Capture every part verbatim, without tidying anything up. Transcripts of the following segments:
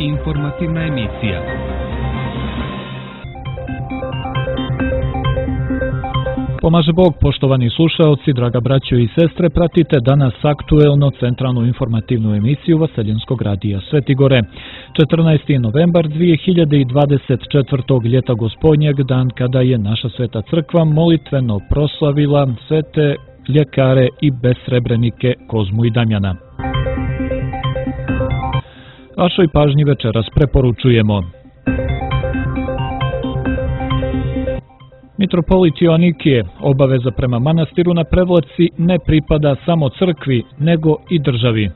Informativna emisija. Pomaže Bog, poštovani slušaoci, draga braćo i sestre, pratite danas aktuelno centralnu informativnu emisiju Vaseljenskog radija Sveti Gore. četrnaesti novembar dvije hiljade dvadeset četvrtog ljeta Gospodnjeg, dan kada je naša Sveta Crkva molitveno proslavila svete ljekare i besrebrenike Kozmu i Damjana. Vašoj pažnji večeras preporučujemo: Mitropolit Joanikije, obaveza prema manastiru na Prevlaci ne pripada samo crkvi, nego i državi.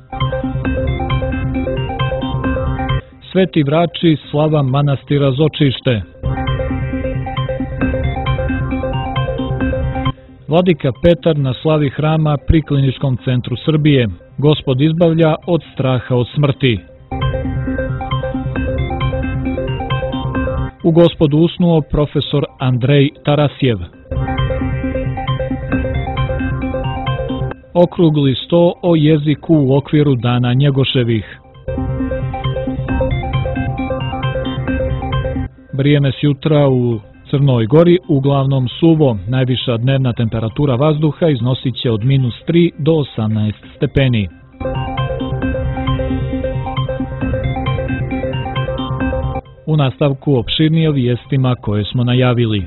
Sveti Vrači, slava manastira Zočište. Vladika Petar na slavi hrama pri Kliničkom centru Srbije. Gospod izbavlja od straha od smrti. U Gospodu usnuo profesor Andrej Tarasjev. Okrugli sto o jeziku u okviru Dana Njegoševih. Vrijeme s jutra u Crnoj Gori uglavnom suvo. Najviša dnevna temperatura vazduha iznosit će od minus tri do osamnaest stepeni. U nastavku opširnije o vijestima koje smo najavili.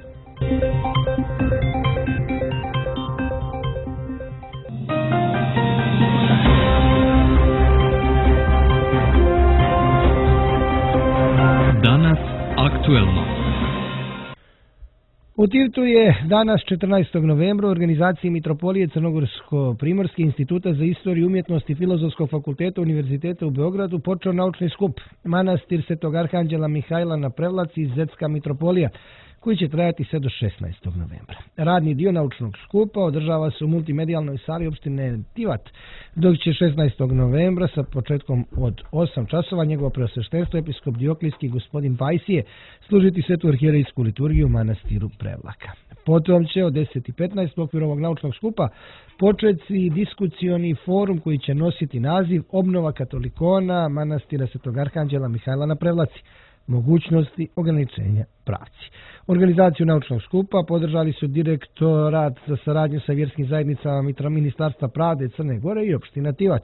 Danas aktuelno. U Tivtu je danas četrnaestog novembra u organizaciji Mitropolije Crnogorsko-Primorske instituta za istoriju umjetnosti Filozofskog fakulteta Univerziteta u Beogradu počeo naučni skup Manastir Svetog Arhanđela Mihajla na Prevlaci i Zetska mitropolija, koji će trajati sve do šesnaestog novembra. Radni dio naučnog skupa održava se u multimedijalnoj sali opštine Tivat, dok će šesnaestog novembra sa početkom od osam časova njegovo preosveštenstvo episkop Dioklijski gospodin Pajsije služiti svetu arhijerejsku liturgiju u manastiru Prevlaka. Potom će od deset i petnaest u okviru ovog naučnog skupa početi diskucioni forum koji će nositi naziv Obnova katolikona manastira Svetog Arhanđela Mihajla na Prevlaci, mogućnosti ograničenja pravci. Organizaciju naučnog skupa podržali su direktorat za saradnju sa vjerskim zajednicama Ministarstva pravde Crne Gore i opština Tivat.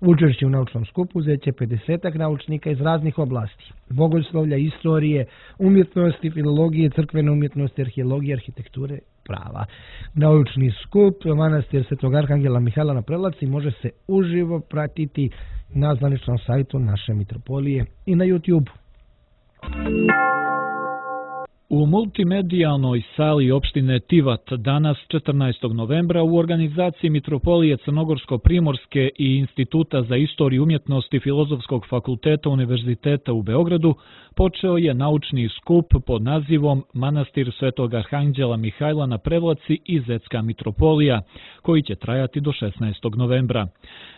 Učešće u naučnom skupu uzet će pedesetak naučnika iz raznih oblasti: bogoslovlja, istorije, umjetnosti, filologije, crkvene umjetnosti, arheologije, arhitekture, prava. Naučni skup manastir Svetog Arhanđela Mihajla na Prevlaci može se uživo pratiti na zvaničnom sajtu naše mitropolije i na YouTube. U multimedijalnoj sali opštine Tivat danas četrnaestog novembra u organizaciji Mitropolije Crnogorsko-Primorske i Instituta za istoriju umjetnosti Filozofskog fakulteta Univerziteta u Beogradu počeo je naučni skup pod nazivom Manastir Svetog Arhanđela Mihajla na Prevlaci i Zetska mitropolija, koji će trajati do šesnaestog novembra.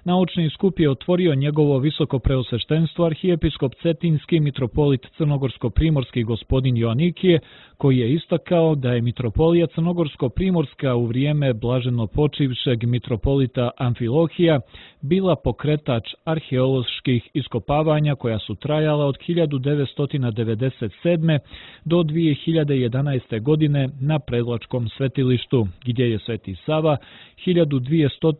Naučni skup je otvorio njegovo visoko preosveštenstvo arhijepiskop Cetinski mitropolit Crnogorsko-Primorski gospodin Joanikije, koji je istakao da je mitropolija Crnogorsko-Primorska u vrijeme blaženo počivšeg mitropolita Amfilohija bila pokretač arheoloških iskopavanja koja su trajala od hiljadu devetsto devedeset sedme. do dvije hiljade jedanaeste. godine na Prevlačkom svetilištu, gdje je Sveti Sava hiljadu dvjesto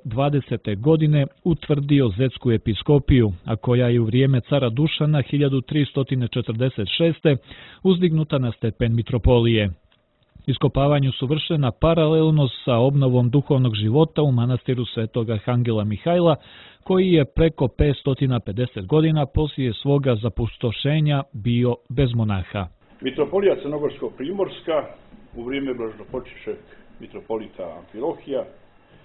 dvadesete. godine utvrdio Zetsku episkopiju, a koja je u vrijeme cara Dušana hiljadu tristo četrdeset šeste. uzdignuta na stepen mitropolije. Iskopavanju su vršena paralelno sa obnovom duhovnog života u manastiru Svetog Arhanđela Mihajla, koji je preko petsto pedeset godina poslije svoga zapustošenja bio bez monaha. Mitropolija Crnogorsko-Primorska u vrijeme blaženopočivšeg mitropolita Amfilohija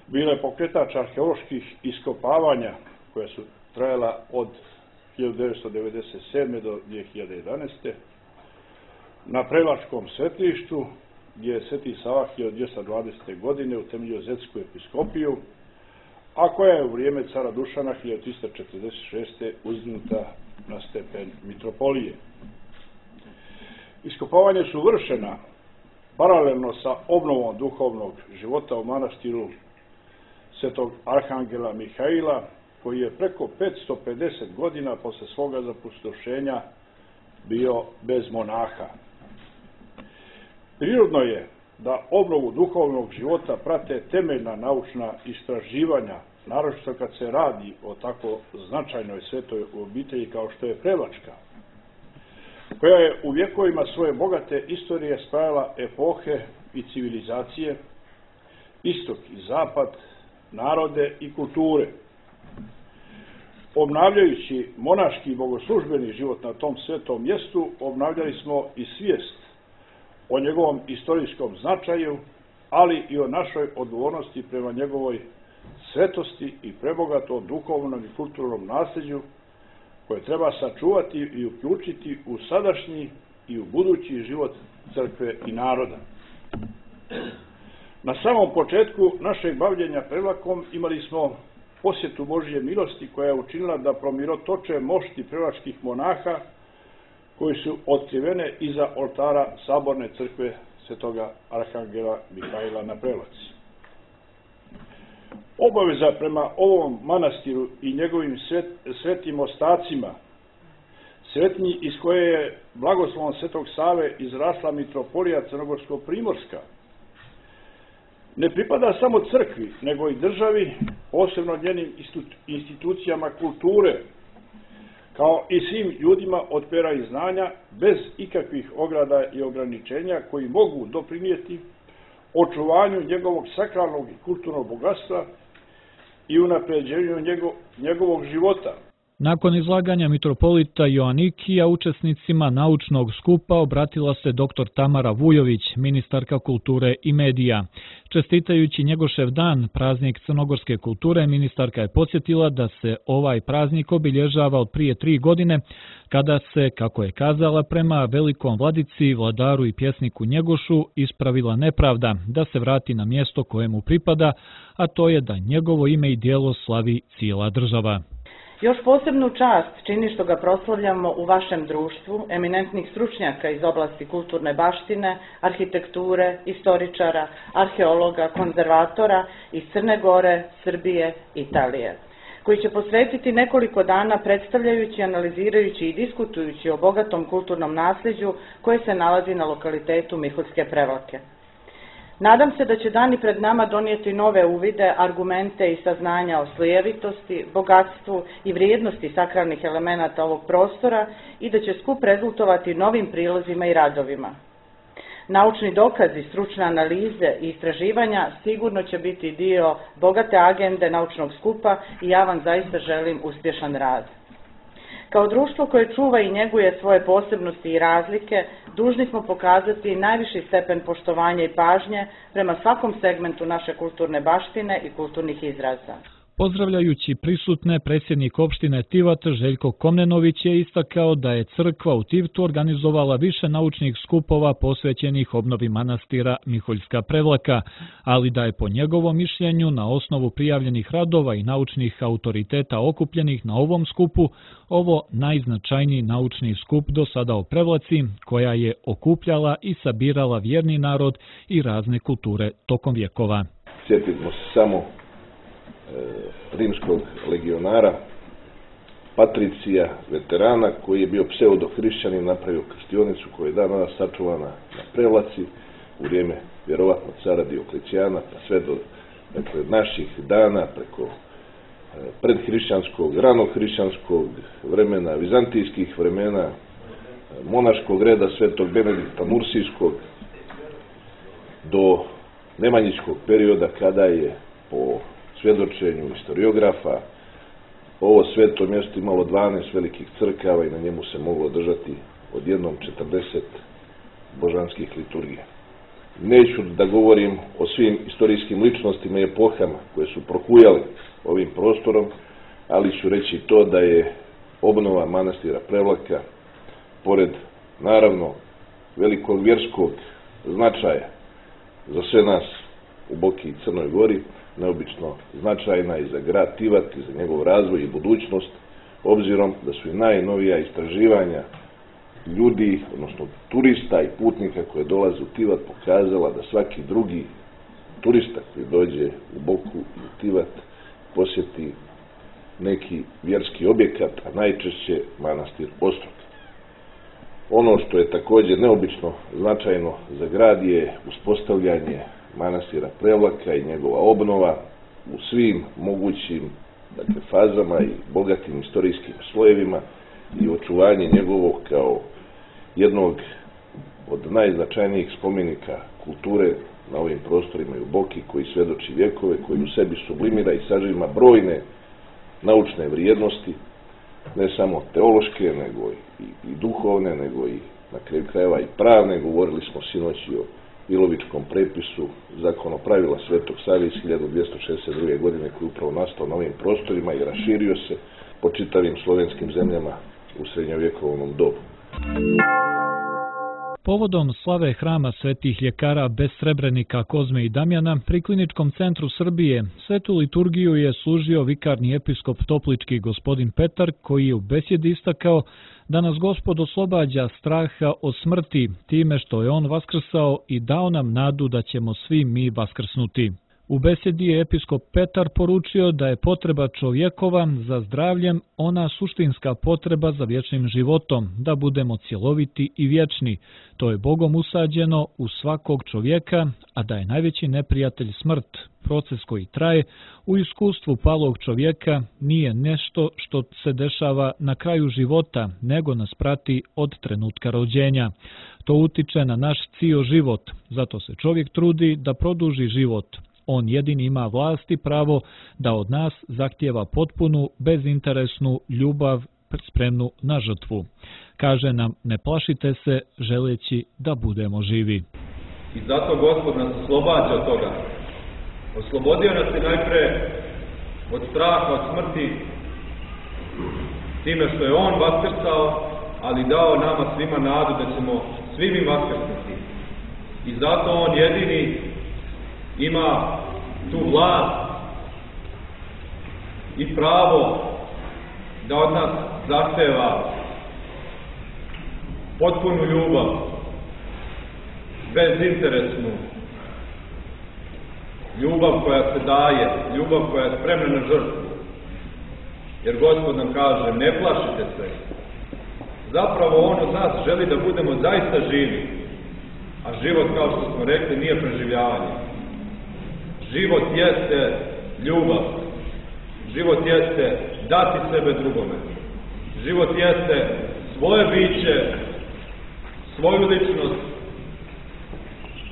bila je pokretač arheoloških iskopavanja koja su trajala od hiljadu devetsto devedeset sedme. do dvije hiljade jedanaeste. na Prevlačkom svetilištu, gdje je Sveti Sava hiljadu dvjesto dvadesete. godine utemeljio Zetsku episkopiju, a koja je u vrijeme cara Dušana hiljadu tristo četrdeset šeste. uzdignuta na stepen mitropolije. Iskopavanja su vršena paralelno sa obnovom duhovnog života u manastiru Svetog Arhanđela Mihajla, koji je preko petsto pedeset godina posle svoga zapustošenja bio bez monaha. Prirodno je da obnovu duhovnog života prate temeljna naučna istraživanja, naročito kad se radi o tako značajnoj svetoj obitelji kao što je Prevačka, koja je u vjekovima svoje bogate istorije spajala epohe i civilizacije, istok i zapad, narode i kulture. Obnavljajući monaški i bogoslužbeni život na tom svetom mjestu, obnavljali smo i svijest o njegovom istorijskom značaju, ali i o našoj odgovornosti prema njegovoj svetosti i prebogatom duhovnom i kulturnom nasljeđu koje treba sačuvati i uključiti u sadašnji i u budući život crkve i naroda. Na samom početku našeg bavljenja Prevlakom imali smo posjetu Božje milosti koja je učinila da promirotoče mošti prevačkih monaha koji su otkrivene iza oltara Saborne crkve Svetoga Arhangela Mihajla na Prevlaci. Obaveza prema ovom manastiru i njegovim svet, svetim ostacima, svetnji iz koje je blagoslovom Svetog Save izrasla mitropolija Crnogorsko-Primorska, ne pripada samo crkvi, nego i državi, posebno njenim institucijama kulture, kao i svim ljudima od pera i znanja, bez ikakvih ograda i ograničenja koji mogu doprinijeti očuvanju njegovog sakralnog i kulturnog bogatstva i unapređenju njegov, njegovog života. Nakon izlaganja mitropolita Joanikija učesnicima naučnog skupa obratila se doktor Tamara Vujović, ministarka kulture i medija. Čestitajući Njegošev dan, praznik crnogorske kulture, ministarka je podsjetila da se ovaj praznik obilježava od prije tri godine, kada se, kako je kazala, prema velikom vladici, vladaru i pjesniku Njegošu ispravila nepravda da se vrati na mjesto kojemu pripada, a to je da njegovo ime i djelo slavi cijela država. Još posebnu čast čini što ga proslavljamo u vašem društvu, eminentnih stručnjaka iz oblasti kulturne baštine, arhitekture, istoričara, arheologa, konzervatora iz Crne Gore, Srbije, Italije, koji će posvetiti nekoliko dana predstavljajući, analizirajući i diskutujući o bogatom kulturnom nasljeđu koje se nalazi na lokalitetu Miholjske Prevlake. Nadam se da će dani pred nama donijeti nove uvide, argumente i saznanja o slojevitosti, bogatstvu i vrijednosti sakralnih elemenata ovog prostora i da će skup rezultovati novim prilozima i radovima. Naučni dokazi, stručne analize i istraživanja sigurno će biti dio bogate agende naučnog skupa i ja vam zaista želim uspješan rad. Kao društvo koje čuva i njeguje svoje posebnosti i razlike, dužni smo pokazati najviši stepen poštovanja i pažnje prema svakom segmentu naše kulturne baštine i kulturnih izraza. Pozdravljajući prisutne, predsjednik opštine Tivat Željko Komnenović je istakao da je crkva u Tivtu organizovala više naučnih skupova posvećenih obnovi manastira Miholjska Prevlaka, ali da je po njegovom mišljenju na osnovu prijavljenih radova i naučnih autoriteta okupljenih na ovom skupu ovo najznačajniji naučni skup do sada o Prevlaci, koja je okupljala i sabirala vjerni narod i razne kulture tokom vjekova. Sjetimo se samo rimskog legionara, Patricija, veterana, koji je bio pseudo-hrišćanin, napravio krstionicu koja je dan danas sačuvana na Prevlaci u vrijeme vjerovatno cara Dioklecijana, pa sve do dakle, naših dana, preko predhrišćanskog, ranohrišćanskog vremena, vizantijskih vremena, monaškog reda Svetog Benedikta Mursijskog, do nemanjičkog perioda kada je po svjedočenju historiografa ovo sveto mjesto imalo dvanaest velikih crkava i na njemu se moglo održati odjednom četrdeset božanskih liturgija. Neću da govorim o svim istorijskim ličnostima i epohama koje su prohujale ovim prostorom, ali ću reći to da je obnova manastira Prevlaka, pored naravno velikog vjerskog značaja za sve nas u Boki i Crnoj Gori, neobično značajna i za grad Tivat i za njegov razvoj i budućnost, obzirom da su i najnovija istraživanja ljudi, odnosno turista i putnika koje dolaze u Tivat pokazala da svaki drugi turista koji dođe u Boku i u Tivat posjeti neki vjerski objekat, a najčešće manastir Ostrog. Ono što je također neobično značajno za grad je uspostavljanje manastira Prevlaka i njegova obnova u svim mogućim, dakle, fazama i bogatim istorijskim slojevima i očuvanje njegovog kao jednog od najznačajnijih spomenika kulture na ovim prostorima i u Boki, koji svjedoči vjekove, koji u sebi sublimira i sažima brojne naučne vrijednosti, ne samo teološke, nego i, i duhovne, nego i na kraju krajeva i pravne. Govorili smo sinoć i o Ilovičkom prepisu zakonopravila Svetog Save iz hiljadu dvjesto šezdeset druge. godine, koji je upravo nastao na ovim prostorima i raširio se po čitavim slovenskim zemljama u srednjovjekovnom dobu. Povodom slave hrama svetih ljekara bez Srebrenika, Kozme i Damjana pri Kliničkom centru Srbije svetu liturgiju je služio vikarni episkop Toplički gospodin Petar, koji je u besjedi istakao da nas Gospod oslobađa straha od smrti time što je on vaskrsao i dao nam nadu da ćemo svi mi vaskrsnuti. U besjedi je episkop Petar poručio da je potreba čovjekova za zdravljem ona suštinska potreba za vječnim životom, da budemo cjeloviti i vječni. To je Bogom usađeno u svakog čovjeka, a da je najveći neprijatelj smrt. Proces koji traje u iskustvu palog čovjeka nije nešto što se dešava na kraju života, nego nas prati od trenutka rođenja. To utiče na naš cijel život, zato se čovjek trudi da produži život. On jedini ima vlast i pravo da od nas zahtijeva potpunu, bezinteresnu ljubav spremnu na žrtvu. Kaže nam, ne plašite se, želeći da budemo živi. I zato Gospod nas oslobađa od toga. Oslobodio nas je najpre od straha, od smrti, time što je On vaskrsao, ali dao nama svima nadu da ćemo svi mi vaskrsnuti. I zato On jedini ima tu vlast i pravo da od nas zahteva potpunu ljubav, bezinteresnu ljubav koja se daje, ljubav koja je spremna na žrtvu. Jer Gospod nam kaže, ne plašite se. Zapravo On od nas želi da budemo zaista živi, a život, kao što smo rekli, nije preživljavanje. Život jeste ljubav. Život jeste dati sebe drugome. Život jeste svoje biće, svoju ličnost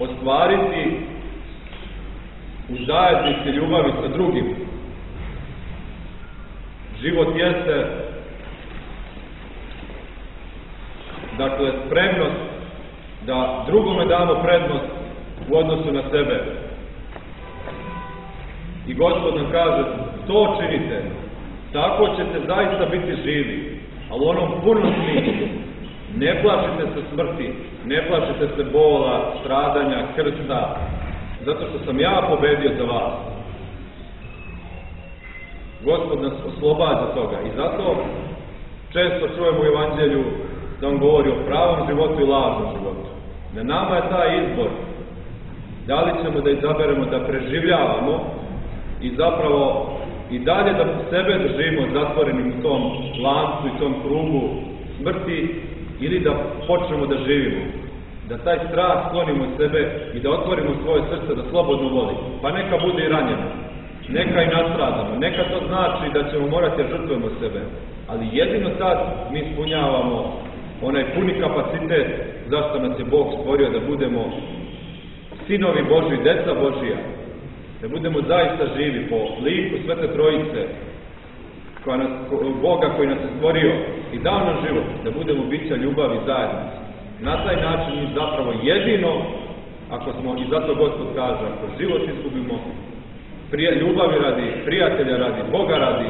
ostvariti u zajednici ljubavi sa drugim. Život jeste, dakle, spremnost da drugome damo prednost u odnosu na sebe. I Gospod nam kaže, to činite, tako ćete zaista biti živi, ali u onom punom smislu. Ne plašite se smrti, ne plašite se bola, stradanja, krsta, zato što sam ja pobedio za vas. Gospod nas oslobađa toga i zato često čujemo u Evanđelju da on govori o pravom životu i lažnom životu. Na nama je taj izbor. Da li ćemo da izaberemo da preživljavamo i zapravo i dalje da sebe držimo zatvorenim u tom lancu i tom krugu smrti, ili da počnemo da živimo, da taj strah sklonimo od sebe i da otvorimo svoje srce da slobodno voli. Pa neka bude i ranjeno, neka i nastradamo, neka to znači da ćemo morati da žrtvujemo sebe, ali jedino tad mi ispunjavamo onaj puni kapacitet zašto nas je Bog stvorio da budemo sinovi Božji, deca Božija, da budemo zaista živi po liku Svete Trojice, koja nas, Boga koji nas je stvorio i dao nam život, da budemo bića ljubavi zajednice. Na taj način mi zapravo jedino, ako smo, i zato Gospod kaže, ako život izgubimo, prije, ljubavi radi, prijatelja radi, Boga radi,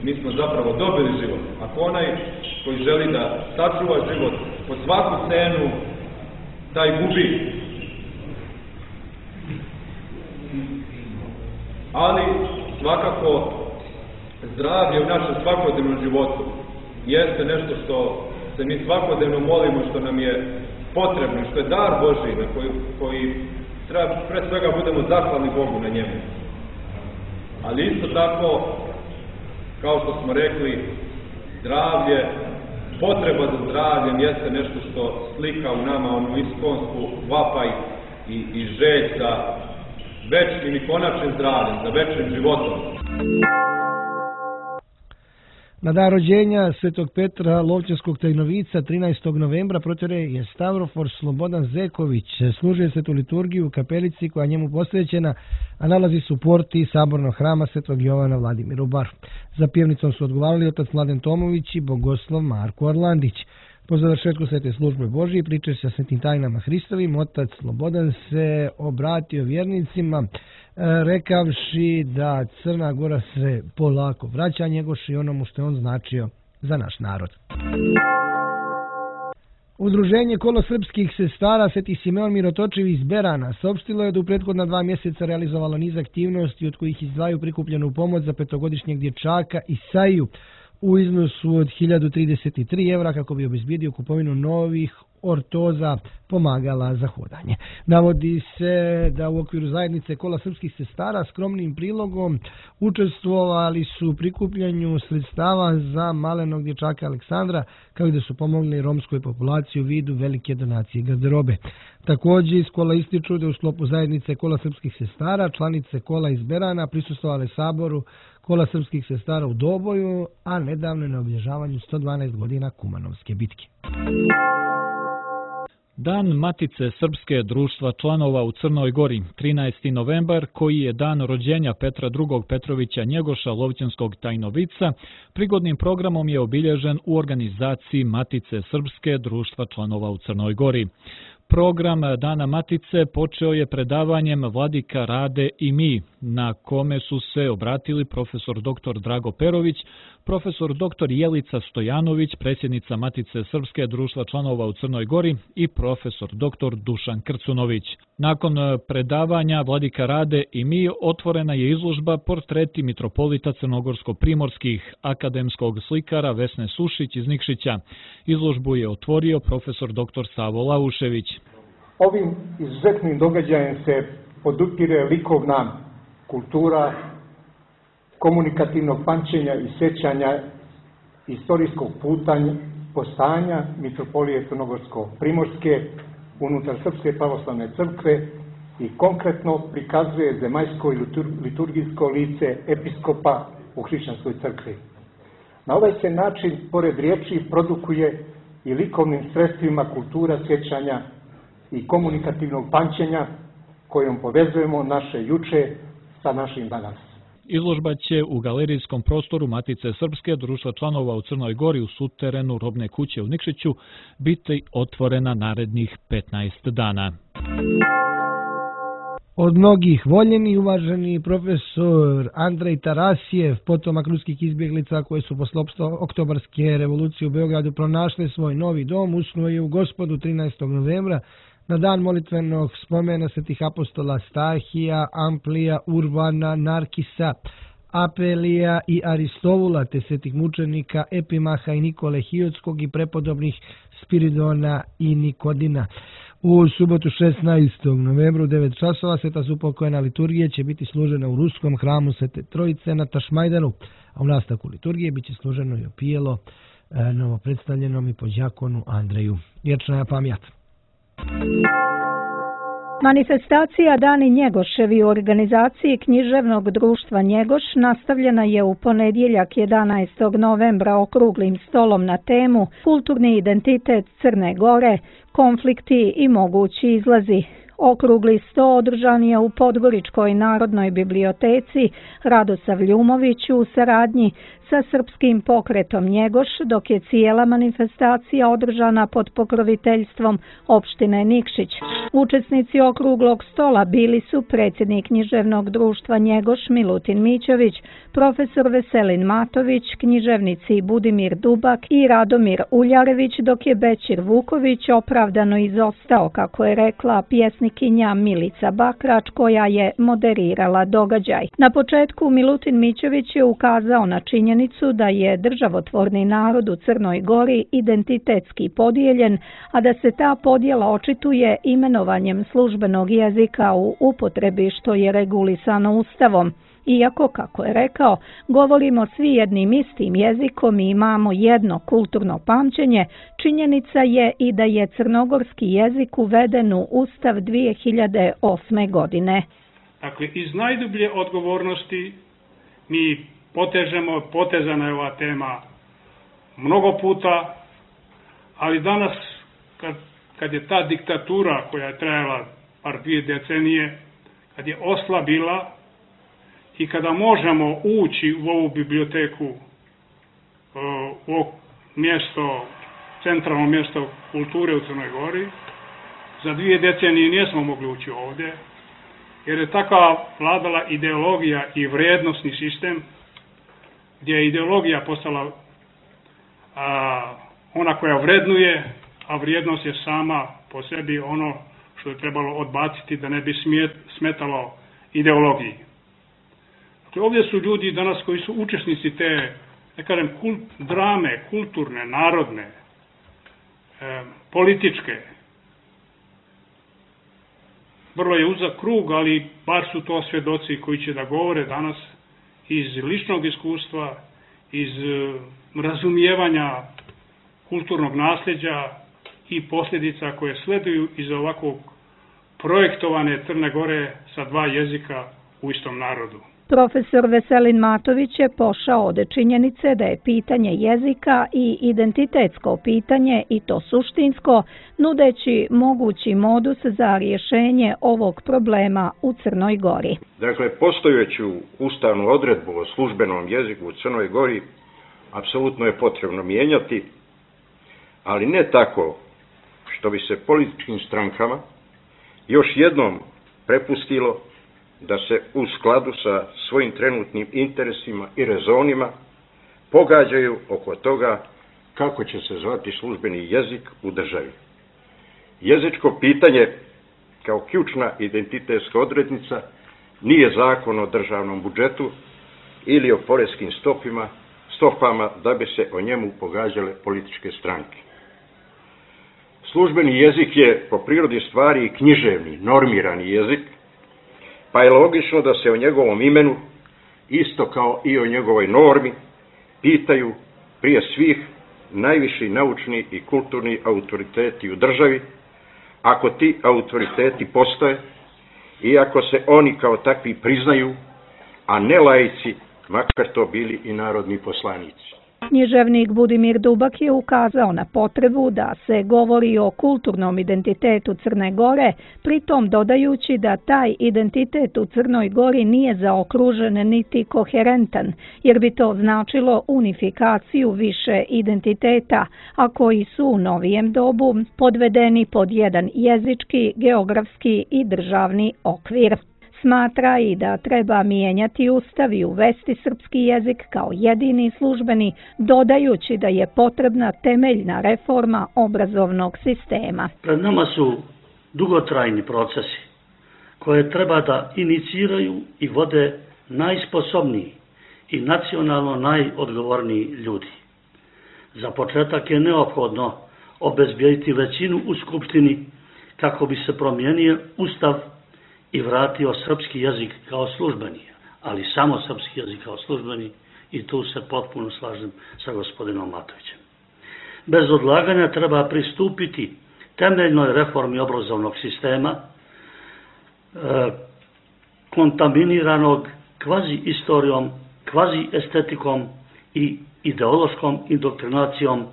mi smo zapravo dobili život. Ako onaj koji želi da sačuva život po svaku cenu, taj gubi. Ali svakako zdravlje u našem svakodnevnom životu jeste nešto što se mi svakodnevno molimo, što nam je potrebno, što je dar Božji na koji, koji treba pre svega budemo zahvalni Bogu na njemu. Ali isto tako kao što smo rekli, zdravlje, potreba za zdravljem jeste nešto što slika u nama onu iskonsku vapaj i, i želj za večnim i konačnim zdravljem, za večnim životom. Na dan rođenja Svetog Petra Lovćanskog tajnovica trinaestog novembra protjere je Stavrofor Slobodan Zeković. Služio svetu liturgiju u kapelici koja je njemu posvećena, a nalazi se u porti Sabornog hrama Svetog Jovana Vladimira u Baru. Za pjevnicom su odgovarali otac Mladen Tomović i bogoslov Marko Orlandić. Po završetku svete službe Božije, pričajući sa svetim tajnama Hristovim, otac Slobodan se obratio vjernicima, rekavši da Crna Gora se polako vraća Njegošu i onomu što je on značio za naš narod. Udruženje Kolo srpskih sestara Sveti Simeon Mirotočiv iz Berana saopštilo je da u prethodna dva mjeseca realizovalo niz aktivnosti od kojih izdvajaju prikupljenu pomoć za petogodišnjeg dječaka Isaiju u iznosu od hiljadu trideset tri evra kako bi obezbijedio kupovinu novih ortoza pomagala za hodanje. Navodi se da u okviru zajednice Kola srpskih sestara skromnim prilogom učestvovali su u prikupljanju sredstava za malenog dječaka Aleksandra, kao i da su pomogli romskoj populaciji u vidu velike donacije garderobe. Također iz Kola ističu da u sklopu zajednice Kola srpskih sestara članice Kola iz Berana prisustvovale saboru Kola srpskih sestara u Doboju, a nedavno na obilježavanju sto dvanaest godina Kumanovske bitke. Dan Matice Srpske društva članova u Crnoj Gori, trinaesti novembar, koji je dan rođenja Petra drugog Petrovića Njegoša Lovćanskog tajnovica, prigodnim programom je obilježen u organizaciji Matice Srpske društva članova u Crnoj Gori. Program Dana Matice počeo je predavanjem Vladika Rade i mi, na kome su se obratili profesor doktor Drago Perović, profesor doktor Jelica Stojanović, predsjednica Matice Srpske društva članova u Crnoj Gori i profesor doktor Dušan Krcunović. Nakon predavanja Vladika Rade i mi otvorena je izložba Portreti mitropolita crnogorsko-primorskih akademskog slikara Vesne Sušić iz Nikšića. Izložbu je otvorio profesor doktor Savo Laušević. Ovim izuzetnim događajem se podupire likovna kultura komunikativnog pamćenja i sjećanja istorijskog putanja, postajanja mitropolije Crnogorsko-primorske unutar Srpske pravoslavne crkve i konkretno prikazuje zemaljsko i liturgijsko lice episkopa u hrišćanskoj crkvi. Na ovaj se način, pored riječi, produkuje i likovnim sredstvima kultura sjećanja i komunikativnog pamćenja kojom povezujemo naše juče sa našim danas. Izložba će u galerijskom prostoru Matice Srpske društva članova u Crnoj Gori u suterenu Robne kuće u Nikšiću biti otvorena narednih petnaest dana. Od mnogih voljeni i uvaženi profesor Andrej Tarasijev, potomak ruskih izbjeglica koje su posle oktobarske revolucije u Beogradu pronašle svoj novi dom, usnuo je u Gospodu trinaestog novembra na dan molitvenog spomena svetih apostola Stahija, Amplija, Urbana, Narkisa, Apelija i Aristovula, te svetih mučenika Epimaha i Nikole Hiotskog i prepodobnih Spiridona i Nikodina. U subotu šesnaestog novembra u devet časova sveta supokojna liturgija će biti služena u ruskom hramu Svete Trojice na Tašmajdanu, a u nastavku liturgije biće služeno i opijelo novopredstavljenom i podjakonu Andreju. Vječna pamjat. Manifestacija Dani Njegoševi u organizaciji Književnog društva Njegoš nastavljena je u ponedjeljak jedanaestog novembra okruglim stolom na temu Kulturni identitet Crne Gore, konflikti i mogući izlazi. Okrugli sto održan je u Podgoričkoj narodnoj biblioteci Radosav Ljumović u saradnji sa Srpskim pokretom Njegoš, dok je cijela manifestacija održana pod pokroviteljstvom opštine Nikšić. Učesnici okruglog stola bili su predsjednik Književnog društva Njegoš Milutin Mićović, profesor Veselin Matović, književnici Budimir Dubak i Radomir Uljarević, dok je Bećir Vuković opravdano izostao, kako je rekla pjesnikinja Milica Bakrač, koja je moderirala događaj. Na početku Milutin Mićović je ukazao na činjenicu da je državotvorni narod u Crnoj Gori identitetski podijeljen, a da se ta podjela očituje imenovanjem službenog jezika u upotrebi što je regulisano Ustavom. Iako, kako je rekao, govorimo svi jednim istim jezikom i imamo jedno kulturno pamćenje, činjenica je i da je crnogorski jezik uveden u Ustav dvije hiljade osme. godine. Dakle, iz najdublje odgovornosti mi potežemo, potezana je ova tema mnogo puta, ali danas, kad, kad je ta diktatura koja je trajala par dvije decenije, kad je oslabila i kada možemo ući u ovu biblioteku, u ovo mjesto, centralno mjesto kulture u Crnoj Gori, za dvije decenije nismo mogli ući ovdje, jer je takva vladala ideologija i vrijednosni sistem, gdje je ideologija postala a, ona koja vrednuje, a vrijednost je sama po sebi ono što je trebalo odbaciti da ne bi smjet, smetalo ideologiji. Dakle, ovdje su ljudi danas koji su učesnici te, ne kažem, kult, drame, kulturne, narodne, e, političke. Vrlo je uzak krug, ali bar su to svjedoci koji će da govore danas iz ličnog iskustva, iz razumijevanja kulturnog nasljeđa i posljedica koje sleduju iz ovakvog projektovane Crne Gore sa dva jezika u istom narodu. Profesor Veselin Matović je pošao od činjenice da je pitanje jezika i identitetsko pitanje, i to suštinsko, nudeći mogući modus za rješenje ovog problema u Crnoj Gori. Dakle, postojeću ustavnu odredbu o službenom jeziku u Crnoj Gori apsolutno je potrebno mijenjati, ali ne tako što bi se političkim strankama još jednom prepustilo da se u skladu sa svojim trenutnim interesima i rezonima pogađaju oko toga kako će se zvati službeni jezik u državi. Jezičko pitanje kao ključna identitetska odrednica nije zakon o državnom budžetu ili o poreskim stopima, stopama da bi se o njemu pogađale političke stranke. Službeni jezik je po prirodi stvari i književni, normirani jezik, pa je logično da se o njegovom imenu, isto kao i o njegovoj normi, pitaju prije svih najviši naučni i kulturni autoriteti u državi, ako ti autoriteti postoje i ako se oni kao takvi priznaju, a ne laici, makar to bili i narodni poslanici. Književnik Budimir Dubak je ukazao na potrebu da se govori o kulturnom identitetu Crne Gore, pritom dodajući da taj identitet u Crnoj Gori nije zaokružen niti koherentan, jer bi to značilo unifikaciju više identiteta, a koji su u novijem dobu podvedeni pod jedan jezički, geografski i državni okvir. Smatra i da treba mijenjati Ustav i uvesti srpski jezik kao jedini službeni, dodajući da je potrebna temeljna reforma obrazovnog sistema. Pred nama su dugotrajni procesi koje treba da iniciraju i vode najsposobniji i nacionalno najodgovorniji ljudi. Za početak je neophodno obezbijediti većinu u Skupštini kako bi se promijenio Ustav i vratio srpski jezik kao službeni, ali samo srpski jezik kao službeni, i tu se potpuno slažem sa gospodinom Matovićem. Bez odlaganja treba pristupiti temeljnoj reformi obrazovnog sistema, e, kontaminiranog kvazi istorijom, kvazi estetikom i ideološkom indoktrinacijom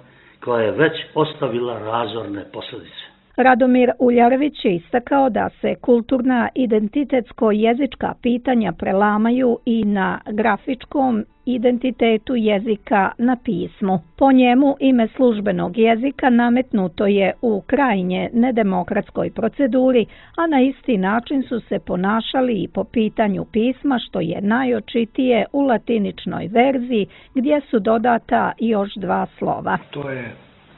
koja je već ostavila razorne posljedice. Radomir Uljarević je istakao da se kulturna identitetsko-jezička pitanja prelamaju i na grafičkom identitetu jezika na pismu. Po njemu ime službenog jezika nametnuto je u krajnje nedemokratskoj proceduri, a na isti način su se ponašali i po pitanju pisma, što je najočitije u latiničnoj verziji gdje su dodata još dva slova. To je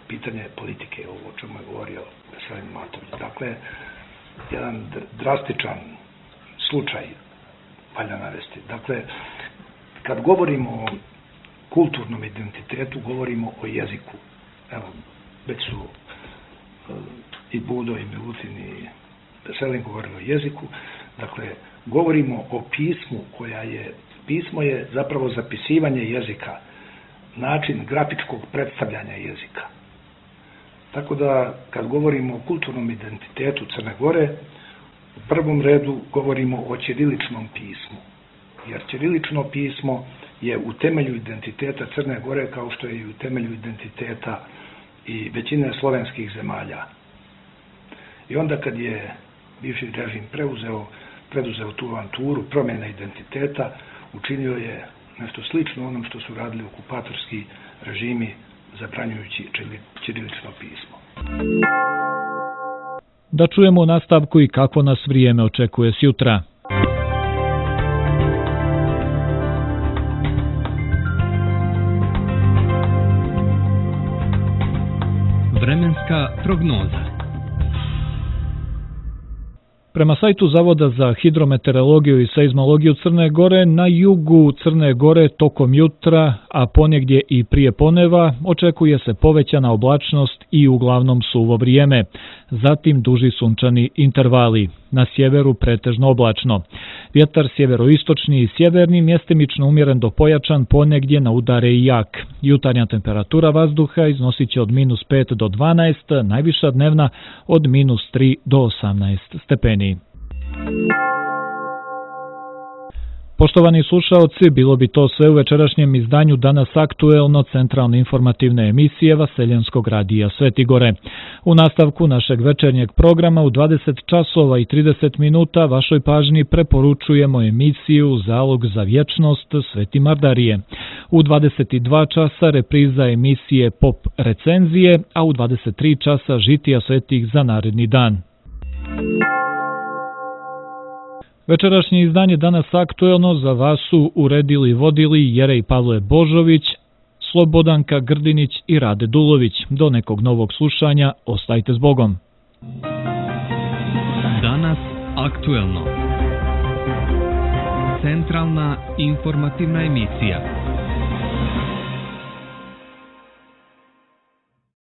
pitanje politike, ovo o čemu je govorio Veselin Matović. Dakle, jedan drastičan slučaj valja navesti. Dakle, kad govorimo o kulturnom identitetu, govorimo o jeziku. Evo, već su uh, i Budo, i Milutin, i Veselin govorili o jeziku. Dakle, govorimo o pismu koja je, pismo je zapravo zapisivanje jezika, način grafičkog predstavljanja jezika. Tako da, kad govorimo o kulturnom identitetu Crne Gore, u prvom redu govorimo o ćiriličnom pismu. Jer ćirilično pismo je u temelju identiteta Crne Gore, kao što je i u temelju identiteta i većine slovenskih zemalja. I onda kad je bivši režim preuzeo, preduzeo tu avanturu promjene identiteta, učinio je nešto slično onom što su radili okupatorski režimi, zabranjujući ćirilično pismo. Da čujemo u nastavku i kako nas vrijeme očekuje sjutra. Vremenska prognoza. Prema sajtu Zavoda za hidrometeorologiju i seizmologiju Crne Gore, na jugu Crne Gore tokom jutra, a ponegdje i prije poneva, očekuje se povećana oblačnost i uglavnom suvo vrijeme. Zatim duži sunčani intervali. Na sjeveru pretežno oblačno. Vjetar sjeveroistočni i sjeverni mjestimično umjeren do pojačan, ponegdje na udare i jak. Jutarnja temperatura vazduha iznosit će od minus pet do dvanaest, najviša dnevna od minus tri do osamnaest stepeni. Poštovani slušaoci, bilo bi to sve u večerašnjem izdanju Danas aktuelno centralne informativne emisije Vaseljenskog radija Sveti Gore. U nastavku našeg večernjeg programa u dvadeset časova i trideset minuta vašoj pažnji preporučujemo emisiju Zalog za vječnost Sveti Mardarije. U dvadeset dva časa repriza emisije Pop recenzije, a u dvadeset tri časa žitija svetih za naredni dan. Večerašnje izdanje Danas aktuelno za vas su uredili i vodili Jerej Pavle Božović, Slobodanka Grdinić i Rade Dulović. Do nekog novog slušanja, ostajte s Bogom. Danas aktuelno. Centralna informativna emisija.